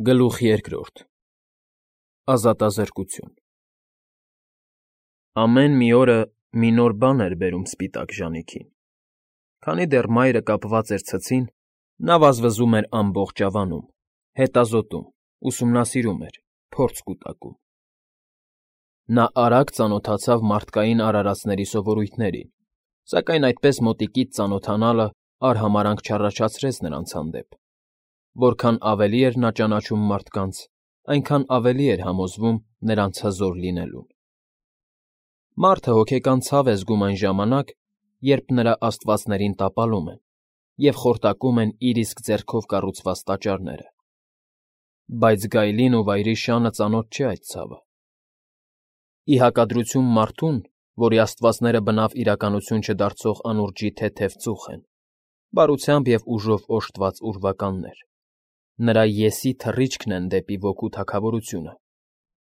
Գլուխ երկրորդ Ազատազրկություն Ամեն մի օրը մի նոր բան էր բերում սպիտակ ժանիքին։ Քանի դեռ մայրը կապված էր ցցին, նա վազվզում էր ամբողջ ավանում, հետազոտում, ուսումնասիրում էր, փորձ կուտակում։ Նա արագ ծանոթացավ մարդկային արարածների սովորույթներին, սակայն այդպես մոտիկից ծանոթանալը արհամարհանք չառաջացրեց նրանց հանդեպ։ Որքան ավելի էր նա ճանաչում մարդկանց, այնքան ավելի էր համոզվում նրանց հզոր լինելուն։ Մարդը հոգեկան ցավ է զգում այն ժամանակ, երբ նրա աստվածներին տապալում են և խորտակում են իր իսկ ձեռքով կառուցված տաճարները։ Բայց գայլին ու վայրի շանը ծանոթ չէ այդ ցավը։ Ի հակադրություն մարդուն, որի աստվածները բնավ իրականություն չդարձող անուրջի թեթև ծուխ են, բարությամբ և ուժով օժտված ուրվականներ, նրա «ես»֊ի թռիչքն են դեպի ոգու թագավորությունը։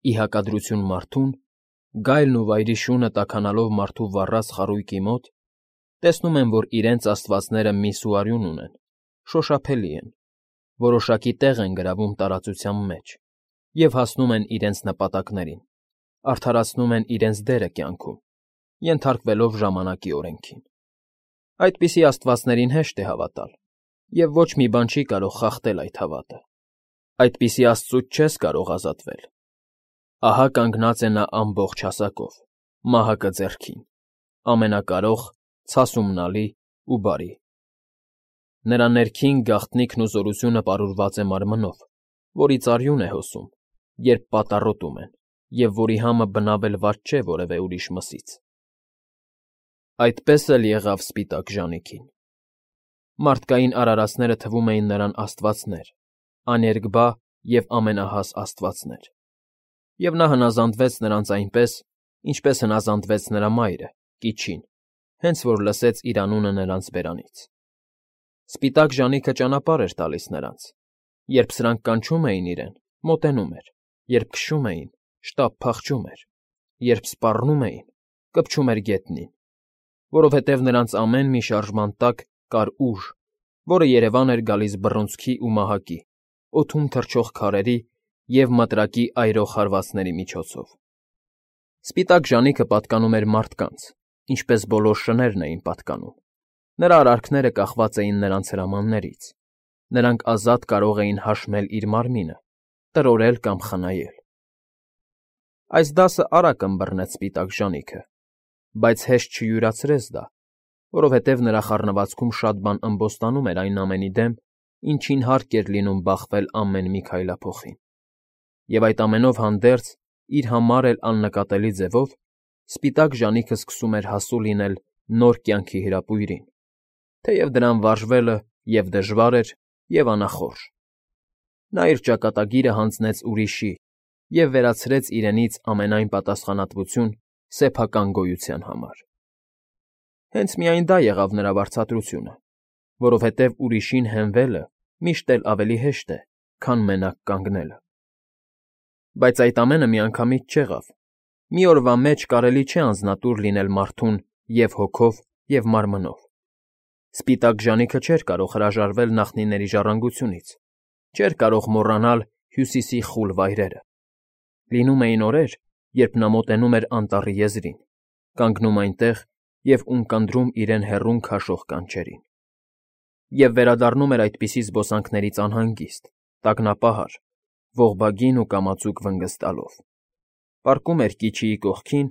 Ի հակադրություն մարդուն, գայլն ու վայրի շունը տաքանալով մարդու վառած խարույկի մոտ, տեսնում են, որ իրենց աստվածները միս ու արյուն ունեն, շոշափելի են, որոշակի տեղ են գրավում տարածության մեջ և հասնում են իրենց նպատակներին, արդարացնում են իրենց դերը կյանքում, ենթարկվելով ժամանակի օրենքին։ Այդպիսի աստվածներին հեշտ է հավատալ, և ոչ մի բան չի կարող խախտել այդ հավատը։ Այդպիսի աստծուց չես կարող ազատվել։ Ահա կանգնած է նա ամբողջ հասակով, մահակը ձեռքին, ամենակարող, ցասումնալի ու բարի։ Նրա ներքին գաղտնիքն ու զորությունը պարուրված է մարմնով, որից արյուն է հոսում, երբ պատառոտում են, և որի համը բնավ էլ վատ չէ որևէ ուրիշ մսից։ Այդպես էլ եղավ սպիտակ ժանիքին։ Մարդկային արարածները թվում էին նրան աստվածներ, աներկբա և ամենահաս աստվածներ։ Եվ նա հնազանդվեց նրանց այնպես, ինչպես հնազանդվեց նրա մայրը՝ Կիչին, հենց որ լսեց իր անունը նրանց բերանից։ Սպիտակ ժանիքը ճանապարհ էր տալիս նրանց. երբ սրանք կանչում էին իրեն, մոտենում էր, երբ քշում էին, շտապ փախչում էր, երբ սպառնում էին, կպչում էր գետնին, որովհետև նրանց ամեն մի շարժման տակ կար ուժ, որը երևան էր գալիս բռունցքի ու մահակի, օդում թռչող քարերի և մտրակի այրող հարվածների միջոցով։ Սպիտակ ժանիքը պատկանում էր մարդկանց, ինչպես բոլոր շներն էին պատկանում։ Նրա արարքները կախված էին նրանց հրամաններից։ Նրանք ազատ կարող էին հաշմել իր մարմինը, տրորել կամ խնայել։ Այս դասը արագ ըմբռնեց սպիտակ ժանիքը, բայց հեշտ չյուրացրեց դա, որովհետև նրա խառնվածքում շատ բան ըմբոստանում էր այն ամենի դեմ, ինչին հարկ էր լինում բախվել ամեն մի քայլափոխին։ Եվ այդ ամենով հանդերձ, իր համար էլ աննկատելի ձևով, սպիտակ ժանիքը սկսում էր հասու լինել նոր կյանքի հրապույրին, թեև դրան վարժվելը և՛ դժվար էր, և՛ անախորժ։ Նա իր ճակատագիրը հանձնեց ուրիշի և վերցրեց իրենից ամենայն պատասխանատվություն սեփական գոյության համար։ Հենց միայն դա եղավ նրա վարձատրությունը, որովհետև ուրիշին հենվելը միշտ էլ ավելի հեշտ է, քան մենակ կանգնելը։ Բայց այդ ամենը միանգամից չեղավ։ Մի օրվա մեջ կարելի չէ անձնատուր լինել մարդուն և՛ հոգով, և՛ մարմնով։ Սպիտակ ժանիքը չէր կարող հրաժարվել նախնիների ժառանգությունից, չէր կարող մոռանալ Հյուսիսի խուլ վայրերը։ Լինում էին օրեր, երբ նա մոտենում էր անտառի եզրին, կանգնում այնտեղ և ունկնդրում իրեն հեռուն քաշող կանչերին։ Եվ վերադառնում էր այդպիսի զբոսանքներից անհանգիստ, տագնապահար, ողբագին ու կամացուկ վնգստալով։ Պառկում էր Կիչիի կողքին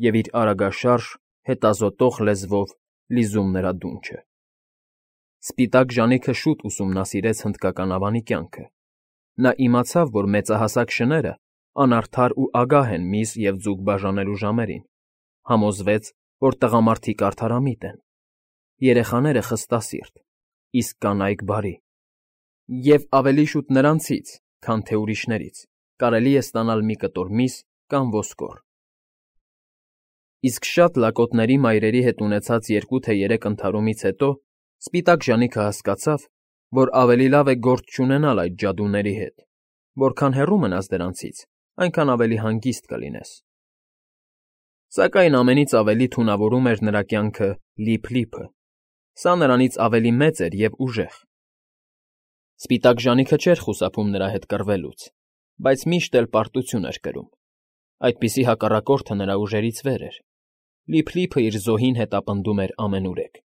և իր արագաշարժ, հետազոտող լեզվով լիզում նրա դունչը։ Սպիտակ ժանիքը շուտ ուսումնասիրեց հնդկական ավանի կյանքը։ Նա իմացավ, որ մեծահասակ շները անարդար ու ագահ են միս և ձուկ բաժանելու ժամերին, համոզվեց, որ տղամարդիկ արդարամիտ են, երեխաները խստասիրտ, իսկ կանայք բարի, և ավելի շուտ նրանցից, քան թե ուրիշներից, կարելի է ստանալ մի կտոր միս կամ ոսկոր։ Իսկ շատ լակոտների մայրերի հետ ունեցած 2 թե 3 ընդհարումից հետո սպիտակ ժանիքը հասկացավ, որ ավելի լավ է գործ չունենալ այդ ջադուների հետ, որքան հեռու մնաս դրանցից, այնքան ավելի հանգիստ կլինես։ Սակայն ամենից ավելի թունավորում էր նրա կյանքը Լիփ֊Լիփը։ Սա նրանից ավելի մեծ էր և ուժեղ։ Սպիտակ ժանիքը չէր խուսափում նրա հետ կռվելուց, բայց միշտ էլ պարտություն էր կրում։ Այդպիսի հակառակորդը նրա ուժերից վեր էր։ Լիփլիփը իր զոհին հետապնդում էր ամենուրեք։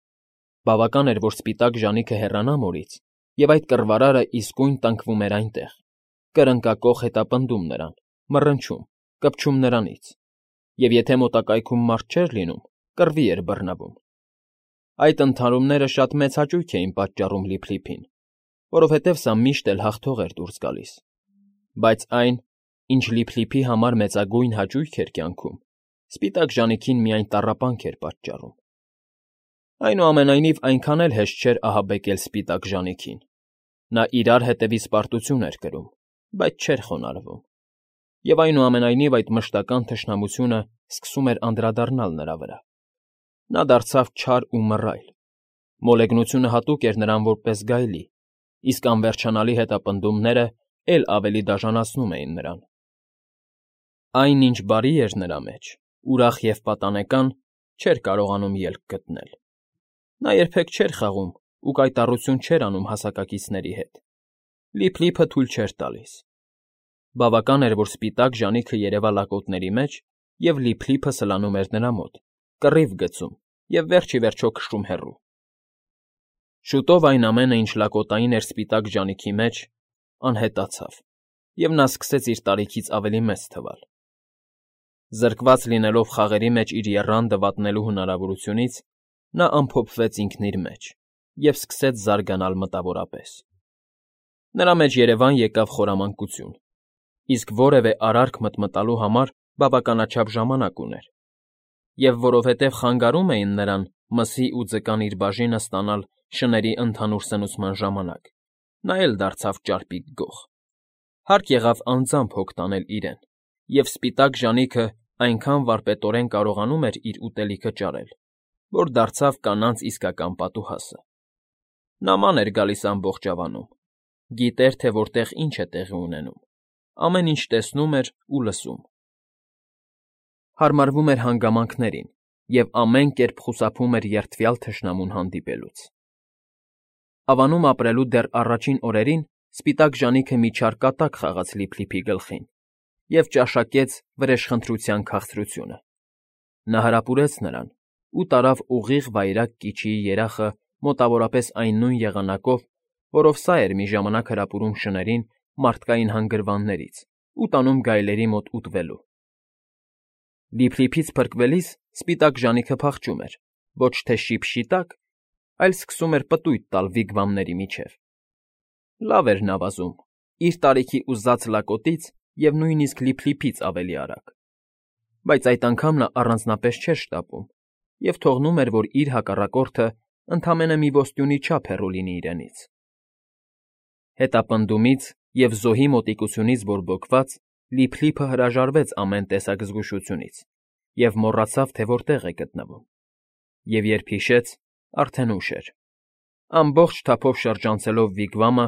Բավական էր, որ սպիտակ ժանիքը հեռանա մորից, և այդ կռվարարը իսկույն տնկվում էր այնտեղ, կրնկակոխ հետապնդում նրան, մռնչում, կպչում նրանից, և եթե մոտակայքում մարդ չէր լինում, կռվի էր բռնվում։ Այդ ընդհարումները շատ մեծ հաճույք էին պատճառում Լիփլիփին, որովհետև սա միշտ էլ հաղթող էր դուրս գալիս։ Բայց այն, ինչ Լիփլիփի համար մեծագույն հաճույք էր կյանքում, սպիտակ ժանիքին միայն տառապանք էր պատճառում։ Այնուամենայնիվ այնքան էլ հեշտ չէր ահաբեկել սպիտակ ժանիքին։ Նա իրար հետևից պարտություն էր կրում, բայց չէր խոնարհվում։ Եվ այնուամենայնիվ այդ մշտական թշնամությունը սկսում էր անդրադառնալ նրա վրա։ Նա դարձավ չար ու մռայլ։ Մոլեգնությունը հատուկ էր նրան որպես գայլի, իսկ անվերջանալի հետապնդումները էլ ավելի դաժանացնում էին նրան։ Այն, ինչ բարի էր նրա մեջ, ուրախ և պատանեկան, չէր կարողանում ելք գտնել։ Նա երբեք չէր խաղում ու կայտառություն չէր անում հասակակիցների հետ։ Լիփլիփը թույլ չէր տալիս։ Բավական էր, որ սպիտակ ժանիքը երևա լակոտների մեջ, և Լիփլիփը սլանում էր նրա մոտ, կռիվ գցում և վերջ ի վերջո քշում հեռու։ Շուտով այն ամենը, ինչ լակոտային էր սպիտակ ժանիքի մեջ, անհետացավ, և նա սկսեց իր տարիքից ավելի մեծ թվալ։ Զրկված լինելով խաղերի մեջ իր եռանդը վատնելու հնարավորությունից, նա ամփոփվեց ինքն իր մեջ և սկսեց զարգանալ մտավորապես։ Նրա մեջ երևան եկավ խորամանկություն, իսկ որևէ արարք մտմտալու համար բավականաչափ ժամանակ ուներ, և որովհետև խանգարում էին նրան մսի ու ձկան իր բաժինը ստանալ շների ընդհանուր սնուցման ժամանակ, նա էլ դարձավ ճարպիկ գող։ Հարկ եղավ անձամբ հոգ տանել իրեն, և սպիտակ ժանիքը այնքան վարպետորեն կարողանում էր իր ուտելիքը ճարել, որ դարձավ կանանց իսկական պատուհասը։ Նա ման էր գալիս ամբողջավանում, գիտեր, թե որտեղ ինչ է տեղի ունենում, ամեն ինչ տեսնում էր ու լսում։ Հարմարվում էր հանգամանքներին և ամեն կերպ խուսափում էր երդվյալ թշնամուն հանդիպելուց։ Ավանում ապրելու դեռ առաջին օրերին սպիտակ ժանիքը մի չար կատակ խաղաց Լիփլիփի գլխին և ճաշակեց վրեժխնդրության քաղցրությունը։ Նա հարապուրեց նրան ու տարավ ուղիղ վայրագ կիչիի երախը մոտավորապես այն նույն եղանակով, որով սա էր մի ժամանակ հրապուրում շներին մարդկային հանգրվաններից ու տանում գայլերի մոտ ուտվելու։ Լիփլիփից փրկվելիս սպիտակ ժանիքը փախչում էր, ոչ թե շիփ֊շիտակ, այլ սկսում էր պտույտ տալ վիգվամների միջև։ Լավ էր նա վազում, իր տարիքի ուզած լակոտից և նույնիսկ Լիփլիփից ավելի արագ։ Բայց այդ անգամ նա առանձնապես չէր շտապում և թողնում էր, որ իր հակառակորդը ընդամենը մի ոստյունի չափ հեռու լինի իրենից։ Հետապնդումից և զոհի մոտիկությունից բորբոքված՝ Լիփլիփը հրաժարվեց ամեն տեսակ զգուշությունից և մոռացավ, թե որտեղ է գտնվում։ Եվ երբ հիշեց, արդեն ուշ էր։ Ամբողջ թափով շրջանցելով վիգվամը,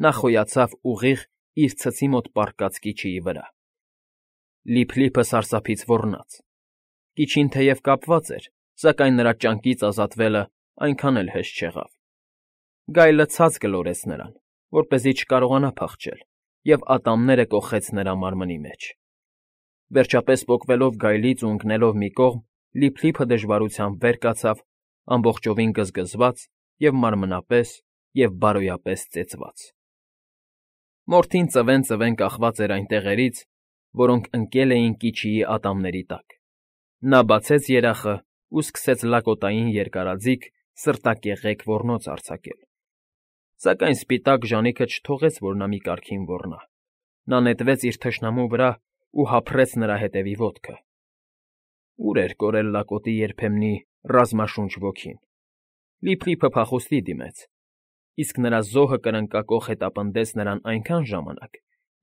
նա խոյացավ ուղիղ իր ցցի մոտ պառկած կիչիի վրա։ Լիփլիփը սարսափից ոռնաց։ Կիչին թեև կապված էր, սակայն նրա ճանկից ազատվելը այնքան էլ հեշտ չեղավ։ Գայլը ցած գլորեց նրան, որպեսզի չկարողանա փախչել, և ատամները կոխեց նրա մարմնի մեջ։ Վերջապես պոկվելով գայլից ու ընկնելով մի կողմ, Լիփլիփը դժվարությամբ վեր կացավ, ամբողջովին գզգզված և մարմնապես և բարոյապես ծեծված։ Մորթին ծվեն֊ծվեն կախված էր այն տեղերից, որոնք ընկել էին կիչիի ատամների տակ։ Նա բացեց երախն ու սկսեց լակոտային երկարաձիգ, սրտակեղեկ ոռնոց արձակել։ Սակայն սպիտակ ժանիքը չթողեց, որ նա մի կարգին ոռնա։ Նա նետվեց իր թշնամու վրա ու հափռեց նրա հետևի ոտքը։ Ուր էր կորել լակոտի երբեմնի ռազմաշունչ ոգին։ Լիփլիփը փախուստի դիմեց, իսկ նրա զոհը կրնկակոխ հետապնդեց նրան այնքան ժամանակ,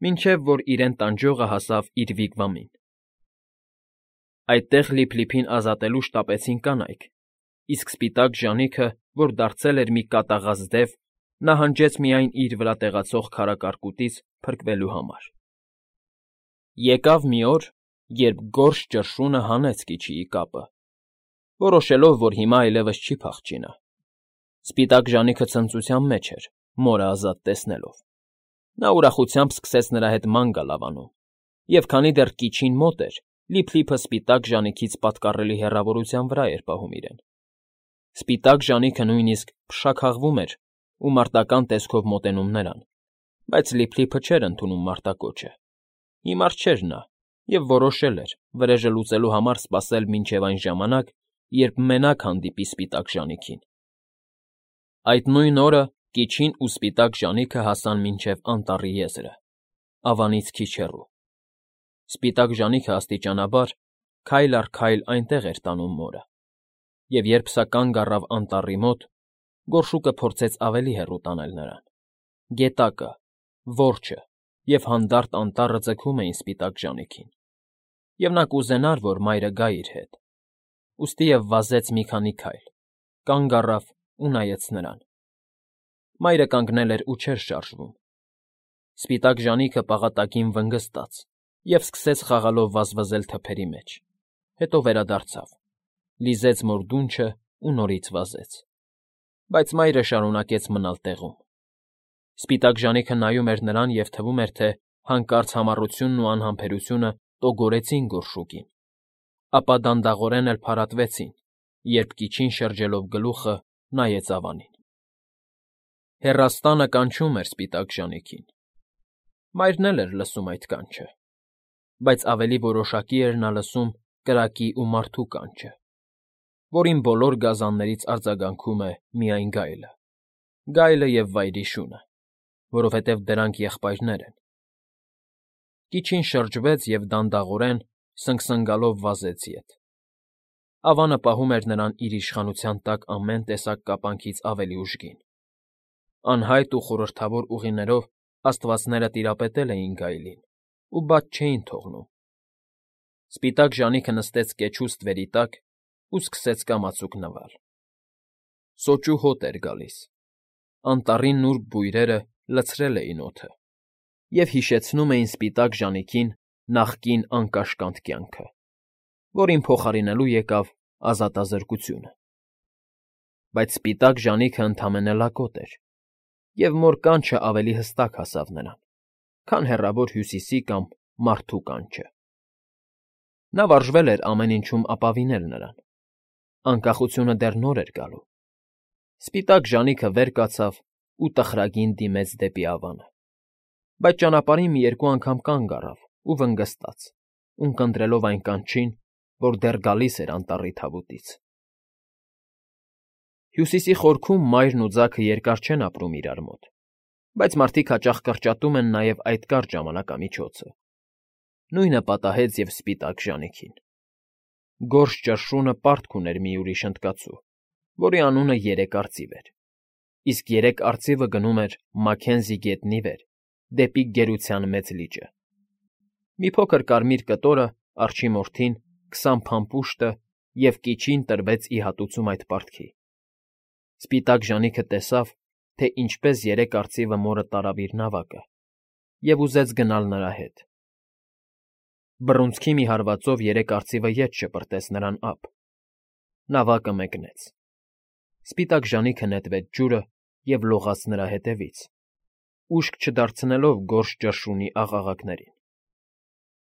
մինչև որ իրեն տանջողը հասավ իր վիգվամին։ Այդտեղ Լիփլիփին ազատելու շտապեցին կանայք, իսկ սպիտակ ժանիքը, որ դարձել էր մի կատաղած դև, նահանջեց միայն իր վրա տեղացող քարակարկուտից փրկվելու համար։ Եկավ մի օր, երբ գորշ ճռշունը հանեց կիչիի կապը, որոշելով, որ հիմա այլևս չի փախչի նա։ Սպիտակ ժանիքը ցնծության մեջ էր, մորը ազատ տեսնելով։ Նա ուրախությամբ սկսեց նրա հետ ման գալ Ավանում, և քանի դեռ կիչին մոտ էր, Լիփլիփը սպիտակ ժանիքից պատկառելի հեռավորության վրա էր պահում իրեն։ Սպիտակ ժանիքը նույնիսկ փշաքաղվում էր ու մարտական տեսքով մոտենում նրան, բայց Լիփլիփը չէր ընդունում մարտակոչը։ Հիմար չէր նա և որոշել էր վրեժը լուծելու համար սպասել մինչև այն ժամանակ, երբ մենակ հանդիպի սպիտակ ժանիքին։ Այդ նույն օրը կիչին ու սպիտակ ժանիքը հասան մինչև անտառի եզրը, Ավանից քիչ հեռու։ Սպիտակ ժանիքը աստիճանաբար, քայլ առ քայլ այնտեղ էր տանում մորը, և երբ սա կանգ առավ անտառի մոտ, գորշուկը փորձեց ավելի հեռու տանել նրան։ Գետակը, որջը և հանդարտ անտառը ձգում էին սպիտակ ժանիքին, և նա կուզենար, որ մայրը գա իր հետ։ Ուստիև վազեց մի քանի քայլ, կանգ առավ ու նայեց նրան։ Մայրը կանգնել էր ու չէր շարժվում։ Սպիտակ ժանիքը պաղատակին վնգստաց և սկսեց խաղալով վազվզել թփերի մեջ, հետո վերադարձավ, լիզեց մոր դունչն ու նորից վազեց։ Բայց մայրը շարունակեց մնալ տեղում։ Սպիտակ ժանիքը նայում էր նրան և թվում էր, թե հանկարծ համառությունն ու անհամբերությունը տոգորեցին գորշուկին, ապա դանդաղորեն էլ փարատվեցին, երբ կիչին շրջելով գլուխը նայեց Ավանին։ Հեռաստանը կանչում էր սպիտակ ժանիքին։ Մայրն էլ էր լսում այդ կանչը, բայց ավելի որոշակի էր նա լսում կրակի ու մարդու կանչը, որին բոլոր գազաններից արձագանքում է միայն գայլը։ Գայլը և վայրի շունը, որովհետև դրանք եղբայրներ են։ Կիչին շրջվեց և դանդաղորեն, սնգսնգալով վազեց ետ։ Ավանը պահում էր նրան իր իշխանության տակ ամեն տեսակ կապանքից ավելի ուժգին։ Անհայտ ու խորհրդավոր ուղիներով աստվածները տիրապետել էին գայլին ու բաց չէին թողնում։ Սպիտակ ժանիքը նստեց կեչու ստվերի տակ ու սկսեց կամացուկ նվալ։ Սոճու հոտ էր գալիս։ Անտառի նուրբ բույրերը լցրել էին օդը և հիշեցնում էին սպիտակ ժանիքին նախկին անկաշկանդ կյանքը, որին փոխարինելու եկավ ազատազրկությունը։ Բայց սպիտակ ժանիքը ընդամենը լակոտ էր, և մոր կանչը ավելի հստակ հասավ նրան, քան հեռավոր Հյուսիսի կամ մարդու կանչը։ Նա վարժվել էր ամեն ինչում ապավինել նրան։ Անկախությունը դեռ նոր էր գալու։ Սպիտակ ժանիքը վեր կացավ ու տխրագին դիմեց դեպի Ավանը, բայց ճանապարհին մի երկու անգամ կանգ առավ ու վնգստաց, ունկնդրելով այն կանչին, որ դեռ գալիս էր անտառի թավուտից։ Հյուսիսի խորքում մայրն ու ձագը երկար չեն ապրում իրար մոտ, բայց մարդիկ հաճախ կրճատում են նաև այդ կարճ ժամանակամիջոցը։ Նույնը պատահեց և սպիտակ ժանիքին։ Գորշ ճռշունը պարտք ուներ մի ուրիշ հնդկացու, որի անունը Երեք արծիվ էր, իսկ Երեք արծիվը գնում էր Մաքենզի գետնի վեր, դեպի Գերության Մեծ լիճը։ Մի փոքր կարմիր կտորը, արջի մորթին, 20 փամփուշտը և կիչին տրվեց ի հատուցում այդ պարտքի։ Սպիտակ ժանիքը տեսավ, թե ինչպես Երեք արծիվը մորը տարավ իր նավակը և ուզեց գնալ նրա հետ։ Բռունցքի մի հարվածով Երեք արծիվը ետ շպրտեց նրան ափ։ Նավակը մեկնեց։ Սպիտակ ժանիքը նետվեց ջուրը և լողաց նրա հետևից, ուշք չդարձնելով գորշ ճռշունի աղաղակներին։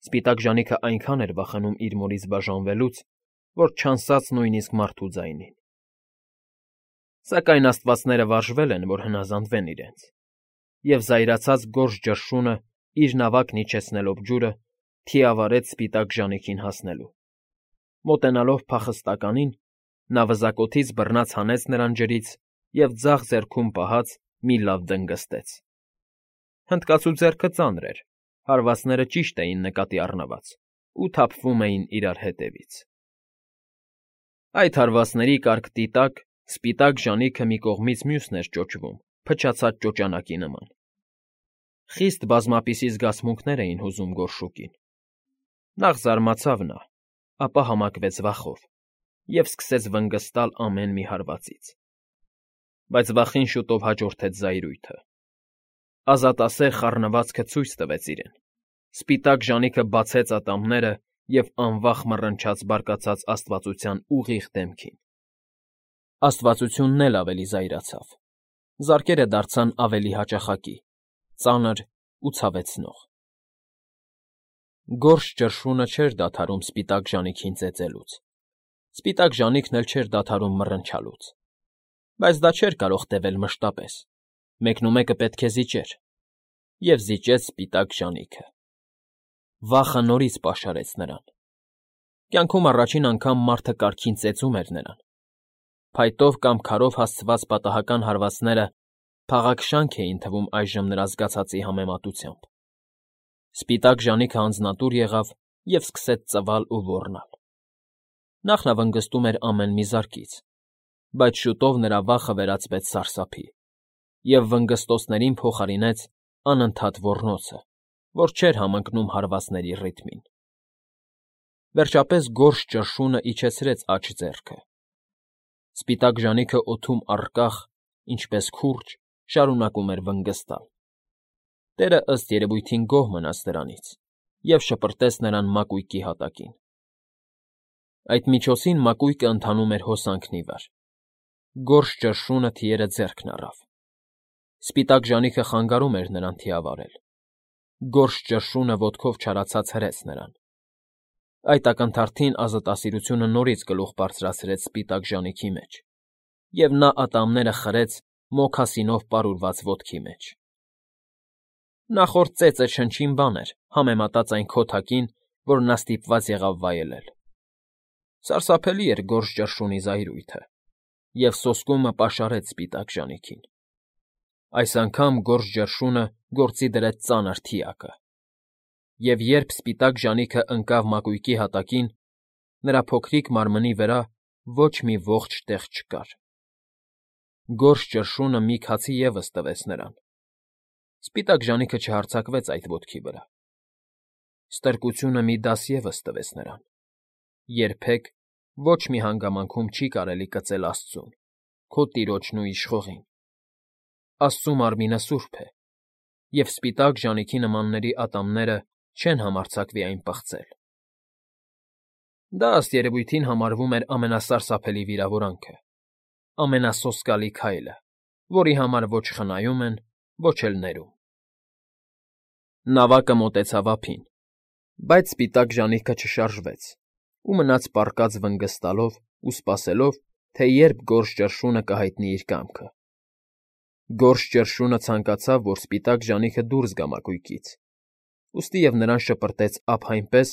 Սպիտակ ժանիքը այնքան էր վախենում իր մորից բաժանվելուց, որ չանսաց նույնիսկ մարդու ձայնին։ Սակայն աստվածները վարժվել են, որ հնազանդվեն իրենց, և զայրացած գորշ ճռշունը, իր նավակն իջեցնելով ջուրը, թիավարեց սպիտակ ժանիքին հասնելու։ Մոտենալով փախստականին, նա վզակոթից բռնած հանեց նրան ջրից և ձախ ձեռքում պահած մի լավ դնգստեց։ Հնդկացու ձեռքը ծանր էր, հարվածները ճիշտ էին նկատի առնված ու թափվում էին իրար հետևից։ Այդ հարվածների կարկտի տակ սպիտակ ժանիքը մի կողմից մյուսն էր ճոճվում փչացած ճոճանակի նման։ Խիստ բազմապիսի զգացմունքներ էին հուզում գորշուկին։ Նախ զարմացավ նա, ապա համակվեց վախով և սկսեց վնգստալ ամեն մի հարվածից։ Բայց վախին շուտով հաջորդեց զայրույթը։ Ազատասեր խառնվածքը ցույց տվեց իրեն։ Սպիտակ ժանիքը բացեց ատամները և անվախ մռնչաց բարկացած աստվածության ուղիղ դեմքին։ Աստվածությունն էլ ավելի զայրացավ։ Զարկերը դարձան ավելի հաճախակի, ծանր ու ցավեցնող։ Գորշ ճռշունը չէր դադարում սպիտակ ժանիքին ծեծելուց, սպիտակ ժանիքն էլ չէր դադարում մռնչալուց, բայց դա չէր կարող տևել մշտապես, մեկնումեկը պետք է զիջեր, և զիջեց սպիտակ ժանիքը։ Վախը նորից պաշարեց նրան։ Կյանքում առաջին անգամ մարդը կարգին ծեծում էր նրան։ Փայտով կամ քարով հասցված պատահական հարվածները փաղաքշանք էին թվում այժմ նրա զգացածի համեմատությամբ։ Սպիտակ ժանիքը անձնատուր եղավ և սկսեց ծվալ ու ոռնալ։ Նախ նա վնգստում էր ամեն մի զարկից, բայց շուտով նրա վախը վերածվեց սարսափի և վնգստոցներին փոխարինեց անընդհատ ոռնոցը, որ չէր համընկնում հարվածների ռիթմին։ Վերջապես գորշ ճռշունը իջեցրեց աջ ձեռքը։ Սպիտակ ժանիքը օդում առկախ, ինչպես քուրջ, շարունակում էր վնգստալ։ Տերը ըստ երևույթին գոհ մնաց դրանից և շպրտեց նրան մակույկի հատակին։ Այդ միջոցին մակույկը ընթանում էր հոսանքն ի վար։ Գորշ ճռշունը թիերը ձեռքն առավ։ Սպիտակ ժանիքը խանգարում էր նրան թիավարել։ Գորշ ճռշունը ոտքով չարացած հրեց նրան։ Այդ ակնթարթին ազատասիրությունը նորից գլուխ բարձրացրեց սպիտակ ժանիքի մեջ, և նա ատամները խրեց մոքասինով պարուրված ոտքի մեջ։ Նախորդ ծեծը չնչին բան էր, համեմատած այն քոթակին, որ նա ստիպված եղավ վայելել։ Սարսափելի էր գորշ ճռշունի զայրույթը, և սոսկումը պաշարեց սպիտակ ժանիքին։ Այս անգամ գորշ ճռշունը գործի դրեց ծանր թիակը, և երբ սպիտակ ժանիքը ընկավ մակույկի հատակին, նրա փոքրիկ մարմնի վրա ոչ մի ողջ տեղ չկար։ Գորշ ճռշունը մի քացի ևս տվեց նրան։ Սպիտակ ժանիքը չհարձակվեց այդ ոտքի վրա։ Ստրկությունը մի դաս ևս տվեց նրան։ Երբեք ոչ մի հանգամանքում չի կարելի կծել Աստծուն, քո Տիրոջն ու Իշխողին։ Աստծու մարմինը սուրբ է, և սպիտակ ժանիքի նմանների ատամները չեն համարձակվի այն պղծել։ Դա ըստ երևույթին համարվում էր ամենասարսափելի վիրավորանքը, ամենասոսկալի քայլը, որի համար ոչ խնայում են, ոչ էլ ներում։ Նավակը մոտեցավ ափին, բայց սպիտակ ժանիքը չշարժվեց ու մնաց պառկած վնգստալով ու սպասելով, թե երբ գորշ ճռշունը կհայտնի իր կամքը։ Գորշ ճռշունը ցանկացավ, որ սպիտակ ժանիքը դուրս գա մակույկից, ուստիև նրան շպրտեց ափ այնպես,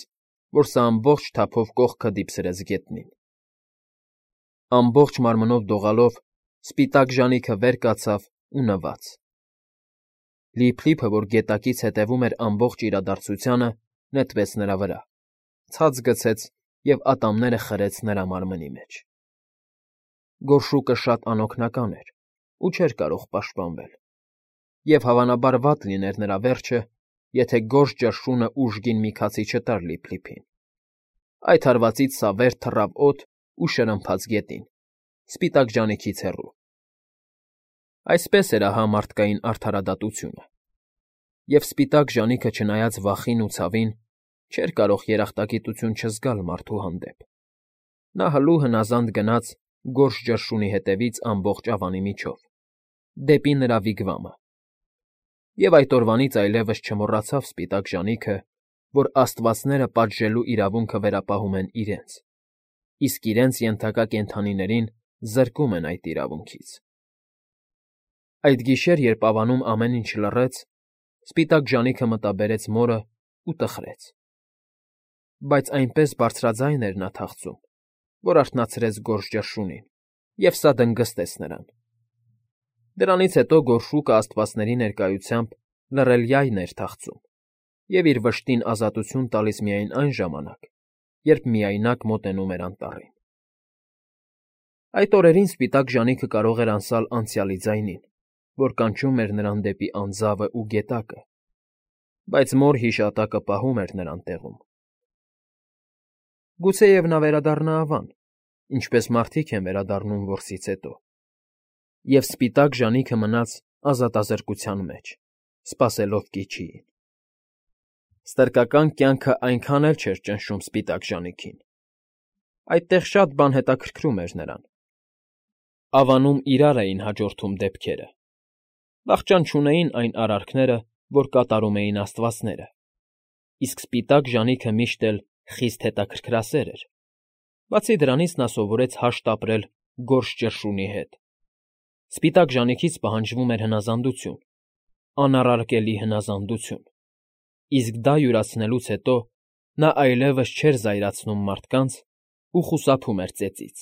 որ սա ամբողջ թափով կողքը դիպսրեց գետնին։ Ամբողջ մարմնով դողալով սպիտակ ժանիքը վեր կացավ ու նվաց։ Լիփլիփը, որ գետակից հետևում էր ամբողջ իրադարձությանը, նետվեց նրա վրա, ցած գցեց և ատամները խրեց նրա մարմնի մեջ։ Գորշուկը շատ անօգնական էր ու չէր կարող պաշտպանվել, և հավանաբար վատ լիներ նրա վերջը, եթե գորշ ճռշունը ուժգին մի քացի չտար Լիփլիփին։ Այդ հարվածից սա վեր թռավ օդ ու շրմփաց գետին, սպիտակ ժանիքից հեռու։ Այսպես էր ահա մարդկային արդարադատությունը։ Եվ սպիտակ ժանիքը, չնայած վախին ու ցավին, չէր կարող երախտագիտություն չզգալ մարդու հանդեպ։ Նա հլու հնազանդ գնաց գորշ ճռշունի հետևից ամբողջ ավանի միջով, դեպի նրա վիգվամը։ Եվ այդ օրվանից այլևս չմոռացավ սպիտակ ժանիքը, որ աստվածները պատժելու իրավունքը վերապահում են իրենց, իսկ իրենց ենթակա կենդանիներին զրկում են այդ իրավունքից։ Այդ գիշեր, երբ ավանում ամեն ինչ լռեց, սպիտակ ժանիքը մտաբերեց մորը ու տխրեց։ Բայց այնպես բարձրաձայն էր նա թախծում, որ արթնացրեց գորշ ճռշունին, և սա դնգստեց նրան։ Դրանից հետո գորշուկը աստվածների ներկայությամբ լռելյայն էր թախծում և իր վշտին ազատություն տալիս միայն այն ժամանակ, երբ միայնակ մոտենում էր անտառին։ Այդ օրերին սպիտակ ժանիքը կարող էր անսալ անցյալի ձայնին, որ կանչում էր նրան դեպի անձավը ու գետակը, բայց մոր հիշատակը պահում էր նրան տեղում։ Գուցեև նա վերադառնա ավան, ինչպես մարդիկ են վերադառնում որսից հետո, և սպիտակ ժանիքը մնաց ազատազրկության մեջ, սպասելով կիչիին։ Ստրկական կյանքը այնքան էլ չէր ճնշում սպիտակ ժանիքին։ Այդտեղ շատ բան հետաքրքրում էր նրան։ Ավանում իրար էին հաջորդում դեպքերը, Վախճան չունեին այն արարքները, որ կատարում էին աստվածները, իսկ սպիտակ ժանիքը միշտ էլ խիստ հետաքրքրասեր էր. բացի դրանից նա սովորեց հաշտ ապրել գորշ ճռշունի հետ. սպիտակ ժանիքից պահանջվում էր հնազանդություն, անառարկելի հնազանդություն, իսկ դա յուրացնելուց հետո նա այլևս չէր զայրացնում մարդկանց ու խուսափում էր ծեծից.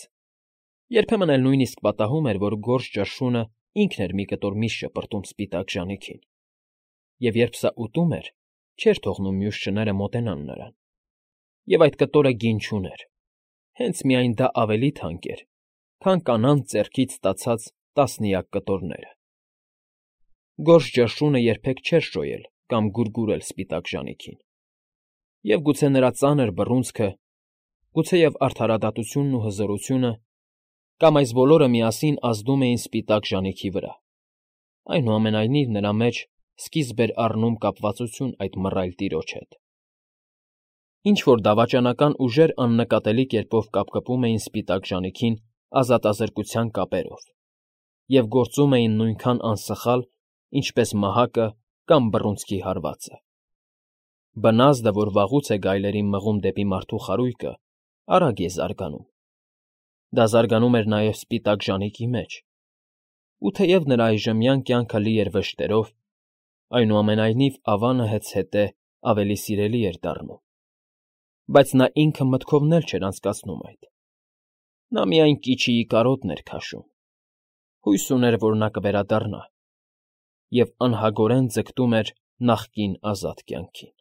երբեմն էլ նույնիսկ պատահում էր, որ գորշ ճռշունը ինքն էր մի կտոր միս շպրտում սպիտակ ժանիքին, և երբ սա ուտում էր, չէր թողնում մյուս շները մոտենան նրան, և այդ կտորը գին չուներ, հենց միայն դա ավելի թանկ էր, քան կանանց ձեռքից ստացած տասնյակ կտորները։ Գորշ ճռշունը երբեք չէր շոյել կամ գուրգուրել սպիտակ ժանիքին, և գուցե նրա ծանր բռունցքը, գուցեև արդարադատությունն ու հզորությունը կամ այս բոլորը միասին ազդում էին սպիտակ ժանիքի վրա, այնուամենայնիվ նրա մեջ սկիզբ էր առնում կապվածություն այդ մռայլ տիրոջ հետ։ Ինչ֊որ դավաճանական ուժեր աննկատելի կերպով կապկպում էին սպիտակ ժանիքին ազատազրկության կապերով և գործում էին նույնքան անսխալ, ինչպես մահակը կամ բռունցքի հարվածը։ Բնազդը, որ վաղուց է գայլերին մղում դեպի մարդու խարույկը, արագ է զարգանում։ Դա զարգանում էր նաև սպիտակ ժանիքի մեջ, ու թեև նրա այժմյան կյանքը լի էր վշտերով, այնուամենայնիվ ավանը հետզհետե ավելի սիրելի էր դառնում, բայց նա ինքը մտքովն էլ չէր անցկացնում այդ. նա միայն Կիչիի կարոտն էր քաշում, հույս ուներ, որ նա կվերադառնա, և անհագորեն ձգտում էր նախկին ազատ կյանքին։